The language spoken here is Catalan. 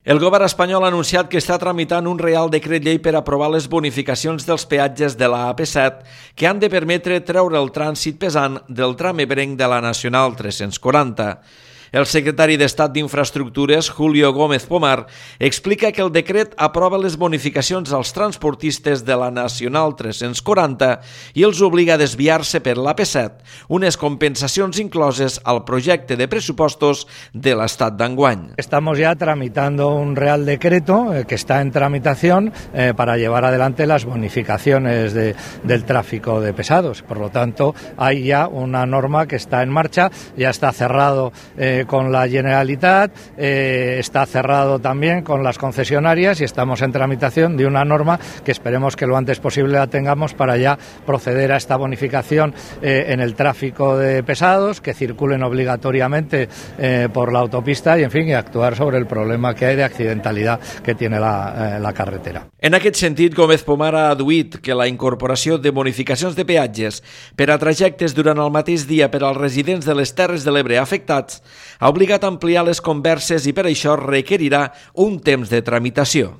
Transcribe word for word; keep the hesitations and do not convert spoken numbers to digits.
El govern espanyol ha anunciat que està tramitant un Reial Decret Llei per aprovar les bonificacions dels peatges de la A P set que han de permetre treure el trànsit pesant del tram ebrenc de la Nacional tres-cents quaranta. El secretari d'Estat d'Infraestructures, Julio Gómez Pomar, explica que el decret aprova les bonificacions als transportistes de la Nacional tres-cents quaranta i els obliga a desviar-se per l'A P set, unes compensacions incloses al projecte de pressupostos de l'Estat d'enguany. Estamos ya tramitando un Real Decreto eh, que está en tramitación eh, para llevar adelante las bonificaciones de, del tráfico de pesados. Por lo tanto, hay ya una norma que está en marcha, ya está cerrado eh, con la Generalitat, eh, está cerrado también con las concesionarias y estamos en tramitación de una norma que esperemos que lo antes posible la tengamos para ya proceder a esta bonificación eh, en el tráfico de pesados, que circulen obligatoriamente eh, por la autopista y, en fin, y actuar sobre el problema que hay de accidentalidad que tiene la, eh, la carretera. En aquest sentit, Gómez Pomar ha adduït que la incorporació de bonificacions de peatges per a trajectes durant el mateix dia per als residents de les Terres de l'Ebre afectats ha obligat a ampliar les converses i per això requerirà un temps de tramitació.